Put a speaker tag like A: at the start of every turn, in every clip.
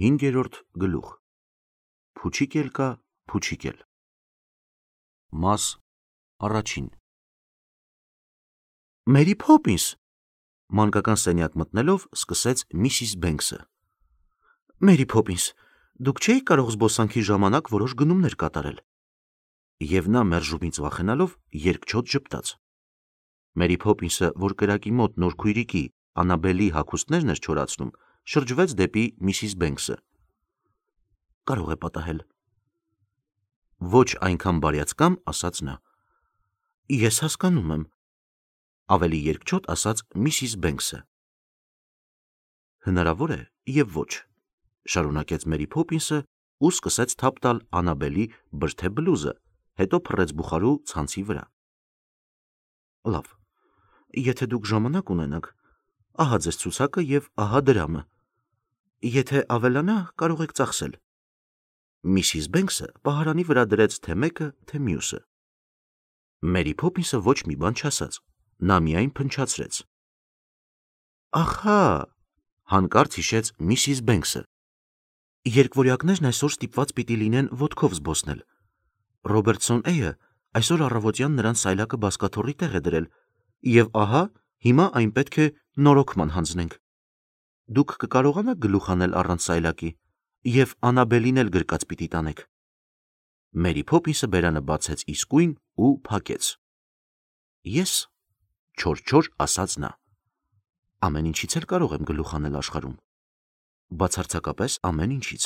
A: 5-րդ գլուխ Փուչիկ էլ կա, փուչիկ էլ Մաս առաջին Մերի Փոփինս մանկական սենյակ մտնելով սկսեց Միսիս Բենքսը Մերի Փոփինս, դուք չէիք կարող զբոսանքի ժամանակ որոշ գնումներ կատարել Եվ նա մերժումից վախենալով երկչոտ ժպտաց Մերի Փոփինսը, որ կրակի մոտ նոր քույրիկի Անաբելի հագուստներն էր չորացնում շրջվեց դեպի Միսիս Բենքսը Կարող է պատահել Ոչ այնքան բարյացկամ ասաց նա Ես հասկանում եմ Ավելի երկչոտ ասաց Միսիս Բենքսը Հնարավոր է և ոչ Շարունակեց Մերի Փոփինսը ու սկսեց թափ տալ Անաբելի բրդե բլուզը Հետո փռեց բուխարու ցանցի վրա Լավ Եթե դուք ժամանակ ունենաք Ահա ձեզ ցուցակը և ահա դրամը Եթե ավելանա կարող եք ծախսել Միսիս Բենքսը պահարանի վրա դրեց թե մեկը, թե մյուսը Մերի Փոփինսը ոչ մի բան չասաց Նա միայն փնչացրեց Ահա Հանկարծ հիշեց Միսիս Բենքսը Երկվորյակներն այսօր ստիպված պիտի լինեն ոտքով զբոսնել Ռոբերտսոն Էյը այսօր առավոտյան նրան սայլակը բազկաթոռի տեղ է դրել Եվ ահա հիմա այն պետք է նորոգման հանձնենք Դուք կկարողանաք գլուխ անել առանց սայլակի Եվ Անաբելին էլ գրկած պիտի տանեք Մերի Փոփինսը բերանը բացեց իսկույն ու փակեց Ես չոր ասաց նա Ամեն ինչից էլ կարող եմ գլուխ անել աշխարհում Բացարձակապես ամեն ինչից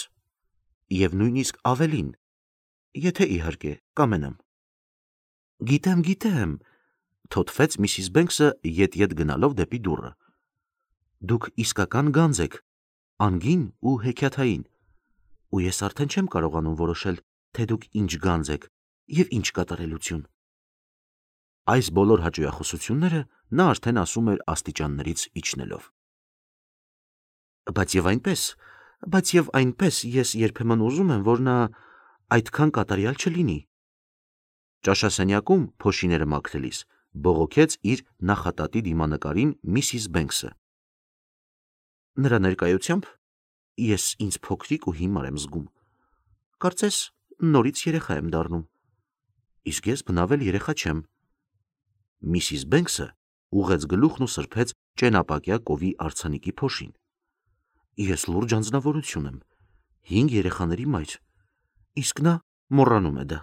A: Եվ նույնիսկ ավելին Եթե իհարկե կամենամ Գիտեմ Թոթվեց Միսիս Բենքսը ետ գնալով դեպի դուռը Դուք իսկական գանձ եք Անգին ու հեքիաթային Ու ես արդեն չեմ կարողանում որոշել Թե դուք ինչ գանձ եք և ինչ կատարելություն Այս բոլոր հաճոյախոսությունները Նա արդեն ասում էր աստիճաններից իջնելով Բայց և այնպես Ես երբեմն ուզում եմ, որ նա այդքան կատարյալ չլինի Ճաշասենյակում փոշիները մաքրելիս Բողոքեց իր նախատատի դիմանկարին Միսիս Բենքսը Նրա ներկայությամբ ես ինձ փոքրիկ ու հիմար եմ զգում Կարծես նորից երեխա եմ դառնում Իսկ ես բնավել երեխա չեմ Միսիս Բենքսը ուղղեց գլուխն ու սրբեց ճենապակյա կովի արձանիկի փոշին Ես լուրջ անձնավորություն եմ 5 երեխաների մայր Իսկ նա մոռանում է դա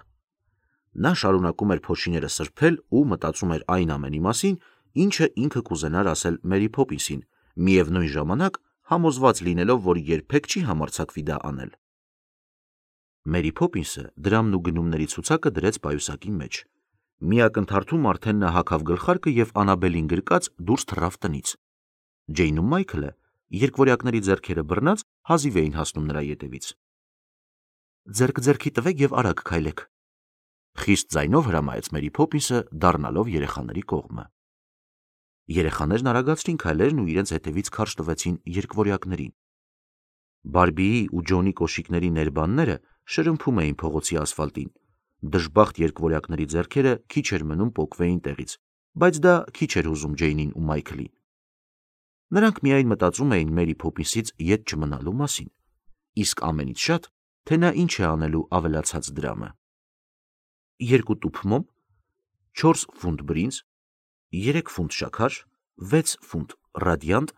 A: Նա շարունակում էր փոշիները սրբել ու մտածում էր այն ամենի մասին Ինչը ինքը կուզենար ասել Մերի Փոփինսին Միևնույն ժամանակ համոզված լինելով, որ երբեք չի համարձակվի դա անել Մերի Փոփինսը դրամն ու գնումների ցուցակը դրեց պայուսակի մեջ Մի ակնթարթում արդեն նա հագավ գլխարկը և Անաբելին գրկած դուրս թռավ տնից Ջեյն ու Մայքլը երկվորյակների ձեռքերը բռնած հազիվ էին հասնում նրա ետևից Ձեռք ձեռքի տվեք և արագ քայլեք Խիստ ձայնով հրամայեց Մերի Փոփինսը դառնալով երեխաների կողմը Երեխաներն արագացրին քայլերն ու իրենց հետևից քարշ տվեցին երկվորյակներին Բարբիի ու Ջոնի կոշիկների ներբանները շրմփում էին փողոցի ասֆալտին Դժբախտ երկվորյակների ձեռքերը քիչ էր մնում պոկվեին տեղից Բայց դա քիչ էր հուզում Ջեյնին ու Մայքլին Նրանք միայն մտածում էին Մերի Փոփինսից ետ չմնալու մասին Իսկ ամենից շատ, թե նա ինչ է անելու ավելացած դրամը 2 տուփ մոմ 4 ֆունտ բրինձ 3 ֆունտ շաքար 6 ֆունտ ռադիանտ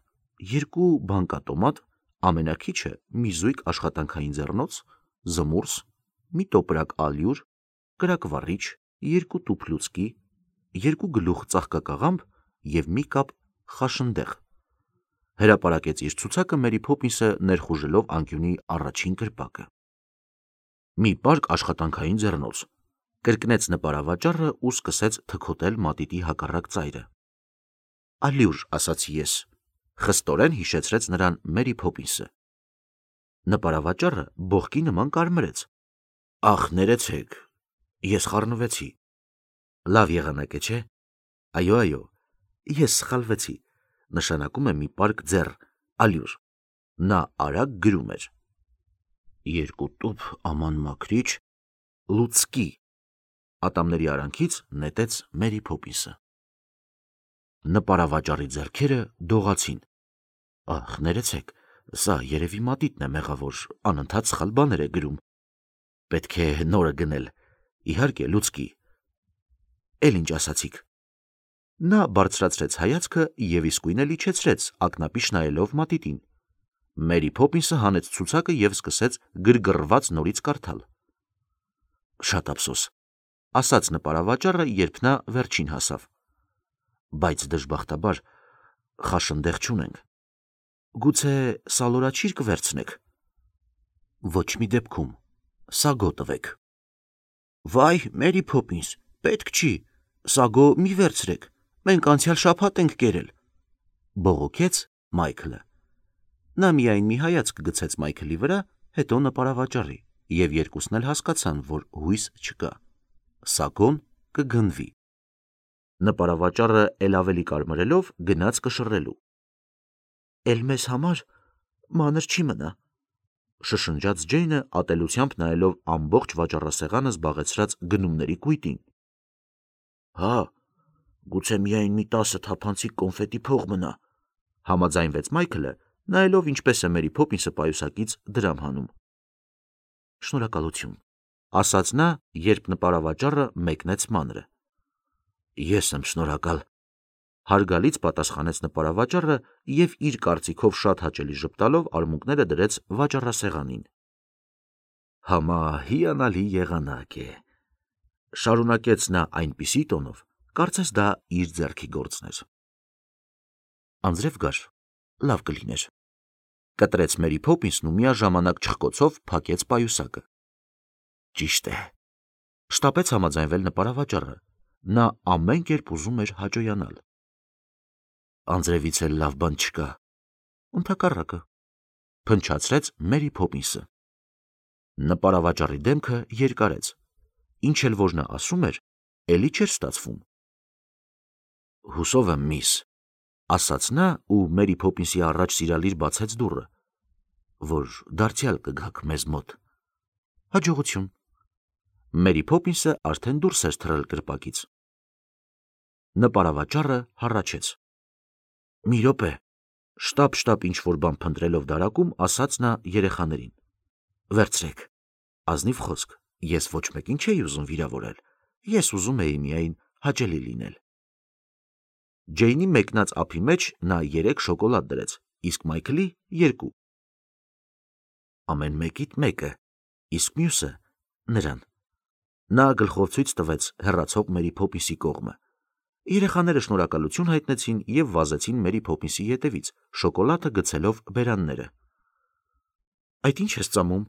A: 2 բանկատոմատ Ամենաքիչը մի զույգ աշխատանքային ձեռնոց Զմուրս Մի տոպրակ ալյուր Կրակվառիչ 2 տուփ լուցկի 2 գլուխ ծաղկակաղամբ և մի կապ խաշնդեղ Հրապարակեց իր ցուցակը Մերի Փոփինսը ներխուժելով անկյունի առաջին կրպակը Մի պարկ աշխատանքային ձեռնոց Կրկնեց նպարավաճառը ու սկսեց թքոտել մատիտի հակառակ ծայրը Ալյուր ասացի ես Խստորեն հիշեցրեց նրան Մերի Փոփինսը Նպարավաճառը բողկի նման կարմրեց Ախ ներեցեք Ես խառնվեցի Լավ եղանակ է չէ Այո Ես սխալվեցի Նշանակում է մի պարկ ձեռ Ալյուր Նա արագ գրում էր 2 տուփ աման մաքրիչ Լուցկի Ատամների արանքից նետեց Մերի Փոփինսը Նպարավաճառի ձեռքերը դողացին Ախ ներեցեք Սա երևի մատիտն է մեղավոր, անընդհատ սխալ բաներ է գրում։ Պետք է նորը գնել։ Իհարկե, լուցկի։ Էլ ինչ ասացիք։ Նա բարձրացրեց հայացքը եւ իսկույն էլ իջեցրեց, ակնապիշ նայելով մատիտին։ Մերի Փոփինսը հանեց ցուցակը եւ սկսեց գրգռված նորից կարդալ։ Շատ ափսոս, ասաց նպարավաճառը, երբ նա վերջին հասավ։ Բայց դժբախտաբար խաշնդեղ չունենք։ Գուցե սալորաչիր կվերցնեք։ Ոչ մի դեպքում, սագո տվեք։ Վայ, Մերի Փոփինս, պետք չի, սագո մի վերցրեք, մենք անցյալ շաբաթ ենք կերել, բողոքեց Մայքլը։ Նա միայն մի հայացք գցեց Մայքլի վրա, հետո նպարավաճառի, եւ երկուսն էլ հասկացան, որ հույս չկա։ Սագոն կգնվի։ Նպարավաճառը էլ ավելի կարմրելով գնաց կշռելու։ Էլ մեզ համար մանր չի մնա, շշնջաց Ջեյնը ատելությամբ նայելով ամբողջ վաճառասեղանը զբաղեցրած գնումների կույտին։ Հա, գուցե միայն մի 10 թափանցիկ կոնֆետի փող մնա, համաձայնվեց Մայքլը, նայելով ինչպես է Մերի Փոփինսը պայուսակից դրամ հանում։ Շնորհակալություն, ասաց նա, երբ նպարավաճառը մեկնեց մանրը։ Ես եմ շնորհակալ, հարգալից պատասխանեց նպարավաճառը եւ իր կարծիքով շատ հաճելի ժպտալով արմունկները դրեց վաճառասեղանին։ Համա հիանալի եղանակ է, շարունակեց նա այնպիսի տոնով, կարծես դա իր ձեռքի գործն էր։ Անձրև գար, լավ կլիներ, կտրեց Մերի Փոփինսն ու միաժամանակ չխկոցով փակեց պայուսակը։ Ճիշտ է, շտապեց համաձայնվել նպարավաճառը, նա ամեն կերպ ուզում էր հաջողանալ։ Անձրևից էլ լավ բան չկա, ընդհակառակը, փնչացրեց Մերի Փոփինսը։ Նպարավաճառի դեմքը երկարեց, ինչ էլ որ նա ասում էր, էլի չէր ստացվում։ Հուսով եմ, միս, ասաց նա ու Մերի Փոփինսի առաջ սիրալիր բացեց դուռը, որ դարձյալ կգաք մեզ մոտ։ Հաջողություն։ Մերի Փոփինսը արդեն դուրս էր թռել կրպակից։ Նպարավաճառը հառաչեց։ Մի րոպե, շտապ ինչ որ բան փնտրելով դարակում, ասաց նա երեխաներին։ Վերցրեք, ազնիվ խոսք, ես ոչ մեկին չէի ուզում վիրավորել, ես ուզում էի միայն հաճելի լինել։ Ջեյնի մեկնած ափի մեջ նա 3 շոկոլադ դրեց, իսկ Մայքլի 2։ Ամեն մեկիդ մեկը, իսկ մյուսը նրան։ Նա գլխով ցույց տվեց հեռացող Մերի Փոփինսի կողմը։ Երեխաները շնորհակալություն հայտնեցին եւ վազեցին Մերի Փոփինսի ետևից, շոկոլադը գցելով բերանները։ Այդ ինչ ես ծամում,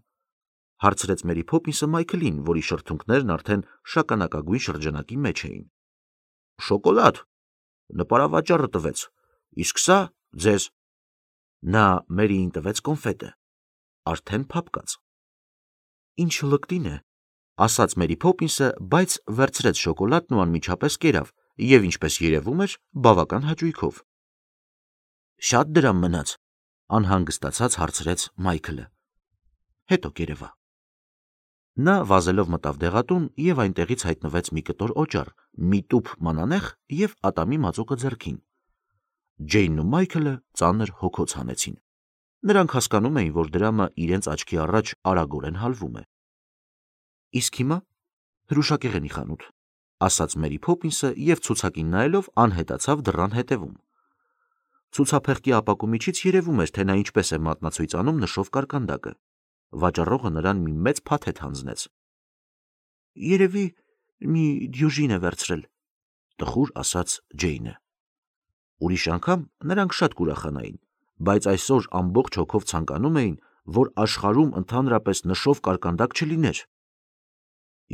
A: հարցրեց Մերի Փոփինսը Մայքլին, որի շրթունքներն արդեն շագանակագույն շրջանակի մեջ էին։ Շոկոլադ, նպարավաճառը տվեց, իսկ սա ձեզ։ Նա Մերիին տվեց կոնֆետը, արդեն փափկած։ Ինչ լկտին է, ասաց Մերի Փոփինսը, բայց վերցրեց շոկոլադն ու անմիջապես կերավ, եւ ինչպես երևում էր, բավական հաճույքով։ Շատ դրամ մնաց, անհանգստացած հարցրեց Մայքլը։ Հետո կերևա։ Նա վազելով մտավ դեղատուն եւ այնտեղից հայտնվեց մի կտոր օճառ, մի տուփ մանանեխ եւ ատամի մածուկը ձեռքին։ Ջեյնն ու Մայքլը ծանր հոգոց հանեցին։ Նրանք հասկանում էին, որ դրամը իրենց աչքի առաջ արագորեն հալվում է։ Իսկ հիմա հրուշակեղենի խանութ, ասաց Մերի Փոփինսը եւ ցուցակին նայելով անհետացավ դռան հետևում։ Ցուցափեղկի ապակու միջից երևում էր, թե նա ինչպես է մատնացույցանում նշով կարկանդակը։ Վաճառողը նրան մի մեծ փաթեթ հանձնեց։ Երևի մի դյուժին է վերցրել, տխուր ասաց Ջեյնը։ Ուրիշ անգամ նրանք շատ կուրախանային, բայց այսօր ամբողջ հոգով ցանկանում էին, որ աշխարհում ընդհանրապես նշով կարկանդակ չլիներ։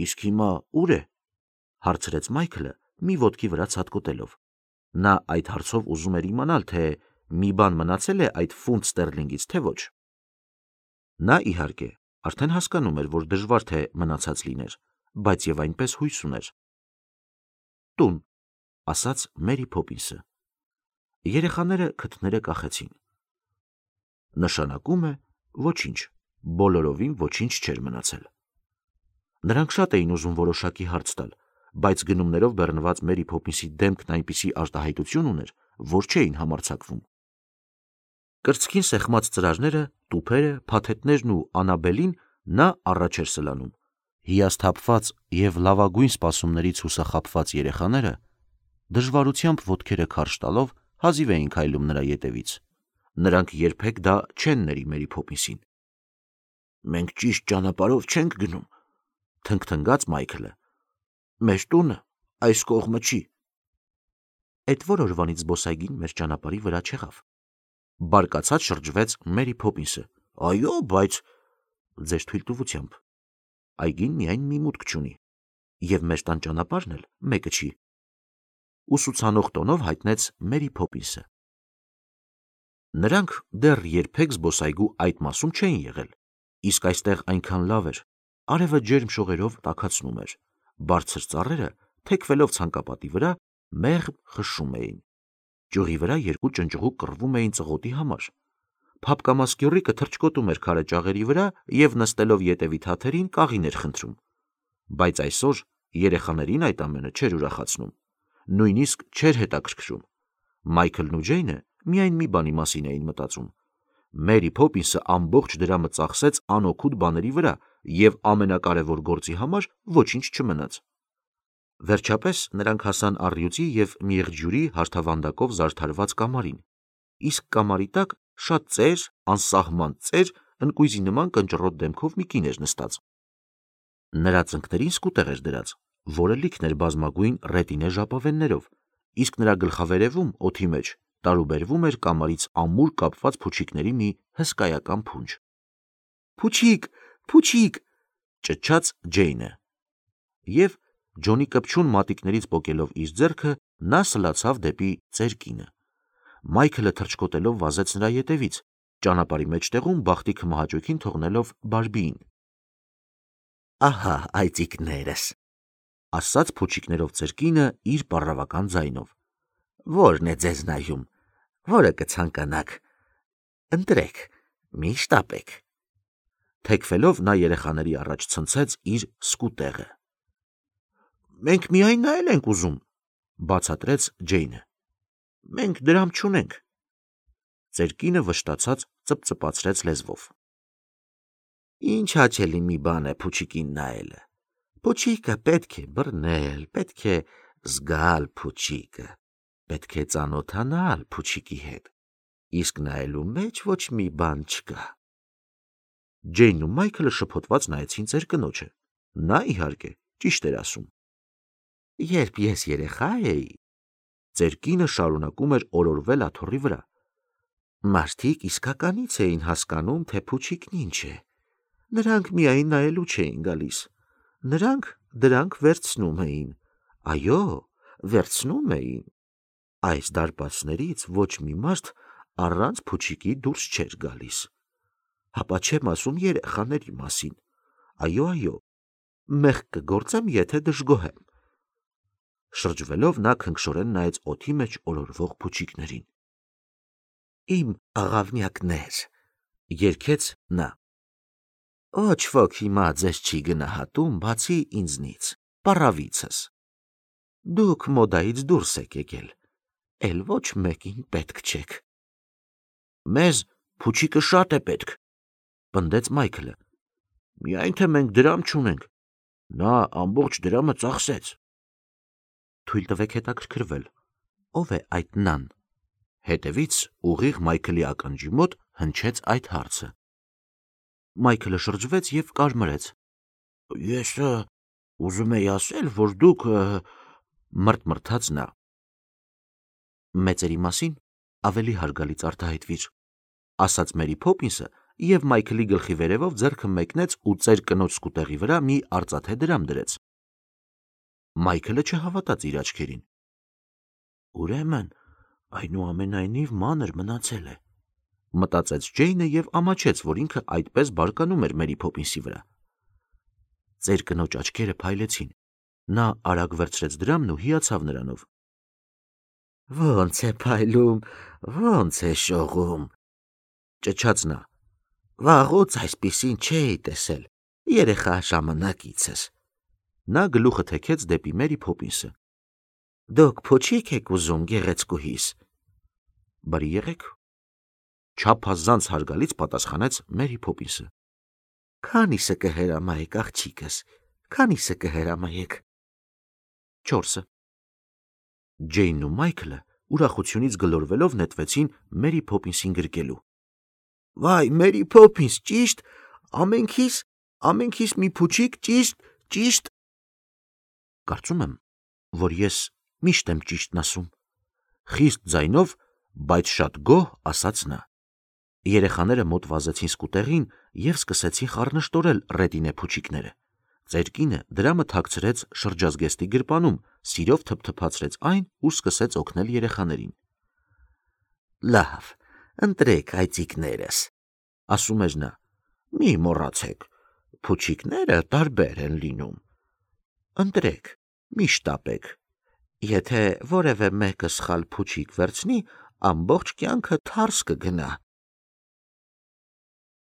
A: Իսկ հիմա ուր է, հարցրեց Մայքլը մի ոտքի վրա ցատկոտելով։ Նա այդ հարցով ուզում էր իմանալ, թե մի բան մնացել է այդ ֆունտ ստերլինգից, թե ոչ։ Նա իհարկե արդեն հասկանում էր, որ դժվար թե մնացած լիներ, բայց եւ այնպես հույս ուներ։ Տուն, ասաց Մերի Փոփինսը։ Երեխաները քթները կախեցին։ Նշանակում է ոչինչ, բոլորովին ոչինչ չէր մնացել։ Նրանք շատ էին ուզում որոշակի հարց տալ, բայց գնումներով բեռնված Մերի Փոփինսի դեմքն այնպիսի արտահայտություն ուներ, որ չէին համարձակվում։ Կրծքին սեղմած ծրարները, տուփերը, փաթեթներն ու Անաբելին նա առաջ էր սլանում։ Հիասթափված և լավագույն սպասումներից հուսախաբված երեխաները դժվարությամբ ոտքերը քարշ տալով հազիվ էին քայլում նրա ետևից։ Նրանք երբեք դա չեն ների Մերի Փոփինսին։ «Մենք ճիշտ ճանապարհով չենք գնում», թնգթնգաց Մայքլը։ «Մեր տունը այս կողմը չի»։ Էդ որ օրվանից զբոսայգին մեր ճանապարհի վրա չեղավ։ Բարկացած շրջվեց Մերի Փոփինսը։ «Այո, բայց…» Ձեր թույլտվությամբ։ Այգին միայն մի մուտք չունի, և մեր տան ճանապարհն էլ մեկը չի, ուսուցանող տոնով հայտնեց Մերի Փոփինսը։ Նրանք դեռ երբեք զբոսայգու այդ մասում չէին եղել, իսկ այստեղ այնքան լավ էր, արևը ջերմ շողերով տաքացնում էր, բարձր ծառերը, թեքվելով ցանկապատի վրա, մեղմ խշշում էին։ Ճյուղի վրա երկու ճնճղուկ կռվում էին ծղոտի համար։ Փափկամաս գյուռիկը թռչկոտում էր քարե ճաղերի վրա և նստելով ետևի թաթերին կաղին էր խնդրում։ Բայց այսօր երեխաներին այդ ամենը չէր ուրախացնում, նույնիսկ չէր հետաքրքրում։ Մայքլն ու Ջեյնը միայն մի բանի մասին էին մտածում։ Մերի Փոփինսը ամբողջ դրամը ծախսեց անօգուտ բաների վրա, և ամենակարևոր գործի համար ոչինչ չմնաց։ Վերջապես նրանք հասան առյուծի և մեղջյուրի հարթավանդակով զարդարված կամարին, իսկ կամարի տակ շատ ծեր, անսահման ծեր, ընկույզի նման կնճռոտ դեմքով մի կին էր նստած։ Նրա ծնկներին սկուտեղ էր դրած, որը լիքն էր բազմագույն ռետինե ժապավեններով, իսկ նրա գլխավերևում, օդի մեջ, տարուբերվում էր կամարից ամուր կապված փուչիկների մի հսկայական փունջ։ «Փուչիկ, փուչիկ», ճչաց Ջեյնը։ Եվ Ջոնի կպչուն մատիկներից պոկելով իր ձեռքը, նա սլացավ դեպի ծեր կինը։ Մայքլը թռչկոտելով վազեց նրա ետևից, ճանապարհի մեջտեղում բախտիքը մահաճույքին թողնելով Բարբիին։ «Ահա այծիկներս», ասաց փուչիկներով ծեր կինը իր պառավական ձայնով։ «Ո՞րն է ձեզ նայում, որը կցանկանաք։ Ընտրեք, մի շտապեք»։ Թեքվելով նա երեխաների առաջ ցնցեց իր սկուտեղը։ «Մենք միայն նայել ենք ուզում», բացատրեց Ջեյնը։ «Մենք դրամ չունենք»։ Ծեր կինը վշտացած ծպծպացրեց լեզվով։ «Ինչ հաճելի մի բան է փուչիկին նայելը։ Փուչիկը պետք է բռնել, պետք է զգալ փուչիկը, պետք է ծանոթանալ փուչիկի հետ, իսկ նայելու մեջ ոչ մի բան չկա»։ Ջեյնն ու Մայքլը շփոթված նայեցին ծեր կնոջը։ Նա, իհարկե, ճիշտ էր ասում։ «Երբ ես երեխա էի», ծեր կինը շարունակում էր օրորվել աթոռի վրա, «մարդիկ իսկականից էին հասկանում, թե փուչիկն ինչ է։ Նրանք միայն նայելու չէին գալիս, նրանք դրանք վերցնում էին։ Այո, վերցնում էին։ Այս դարպասներից ոչ մի մարդ առանց փուչիկի դուրս չէր գալիս։ Հապա չեմ ասում երեխաների մասին։ Այո, այո, մեղք կգործեմ, եթե դժգոհեմ»։ Շրջվելով նա քնքշորեն նայեց օդի մեջ օրորվող փուչիկներին։ «Իմ աղավնյակներ», երգեց նա։ «Ոչ ոք հիմա ձեզ չի գնահատում, բացի ինձնից, պառավիցս։ Դուք մոդայից դուրս եք եկել, էլ ոչ մեկին պետք չեք»։ «Մեզ փուչիկը շատ է պետք», պնդեց Մայքլը։ «Միայն թե մենք դրամ չունենք, նա ամբողջ դրամը ծախսեց»։ «Թույլ տվեք հետաքրքրվել, ով է այդ նան»։ Հետևից ուղիղ Մայքլի ականջի մոտ հնչեց այդ հարցը։ Մայքլը շրջվեց և կարմրեց։ «Ես ուզում էի ասել, որ դուք…» մռթմռթաց նա։ «Մեծերի մասին ավելի հարգալից արտահայտվիր», ասաց Մերի Փոփինսը և Մայքլի գլխի վերևով ձեռքը մեկնեց ու ծեր կնոջ սկուտեղի վրա մի արծաթե դրամ դրեց։ Մայքլը չհավատաց իր աչքերին։ «Ուրեմն այնուամենայնիվ մանր մնացել է», մտածեց Ջեյնը և ամաչեց, որ ինքը այդպես բարկանում էր Մերի Փոփինսի վրա։ Ծեր կնոջ աչքերը փայլեցին։ Նա արագ վերցրեց դրամն ու հիացավ նրանով։ «Ոնց է փայլում, ոնց է շողում», ճչաց նա։ «Վաղուց այսպիսին չէի տեսել երեխա ժամանակիցս»։ Նա գլուխը թեքեց դեպի Մերի Փոփինսը։ «Դուք փուչի՞կ եք ուզում, գեղեցկուհիս»։ «Բարի եղեք», Չափազանց հարգալից պատասխանեց Մերի Փոփինսը։ Քանիսը կհրամայեք, աղջիկս, քանիսը կհրամայեք։ 4-ը։ Ջեյնն ու Մայքլը ուրախությունից գլորվելով նետվեցին Մերի Փոփինսին գրկելու։ Վայ, Մերի Փոփինս, ճիշտ, ամենքիս մի փուչիկ, ճիշտ։ Կարծում եմ, որ ես միշտ եմ ճիշտն ասում, խիստ ձայնով, բայց շատ գոհ ասաց նա։ Երեխաները մոտ վազեցին սկուտեղին և սկսեցին խառնշտորել ռետինե փուչիկները։ Ծեր կինը դրամը թաքցրեց շրջազգեստի գրպանում, սիրով թփթփացրեց այն ու սկսեց օգնել երեխաներին։ Լավ, ընտրեք այծիկներս, ասում էր նա, մի մոռացեք, փուչիկները տարբեր են լինում։ Ընտրեք, մի շտապեք, եթե որևէ մեկը սխալ փուչիկ վերցնի, ամբողջ կյանքը թարս կգնա։